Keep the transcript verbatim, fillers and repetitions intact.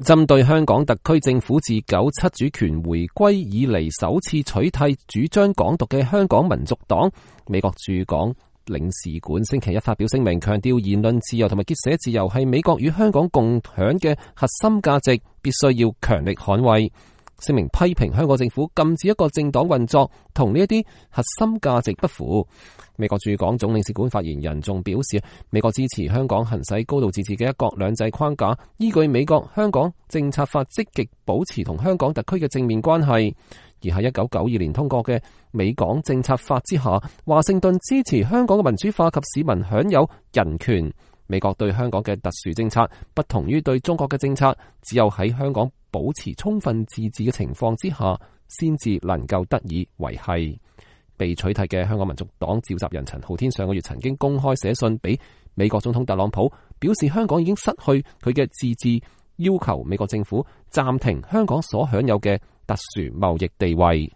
針對香港特區政府自九七主權回歸以嚟首次取締主張港獨嘅香港民族黨，美國駐港領事館星期一發表聲明，強調言論自由同埋結社自由係美國與香港共享嘅核心價值，必須要強力捍衛。聲明批評香港政府禁止一個政黨運作，同呢一啲核心價值不符。美國駐港總領事館發言人仲表示，美國支持香港行使高度自治嘅一國兩制框架，依據美國香港政策法積極保持同香港特區嘅正面關係。而喺一九九二年通過嘅美港政策法之下，華盛頓支持香港嘅民主化及市民享有人權。美國對香港嘅特殊政策不同於對中國嘅政策，只有喺香港保持充分自治嘅情況之下，先至能夠得以維繫。被取締嘅香港民族黨召集人陳浩天上個月曾經公開寫信俾美國總統特朗普，表示香港已經失去佢嘅自治，要求美國政府暫停香港所享有嘅特殊貿易地位。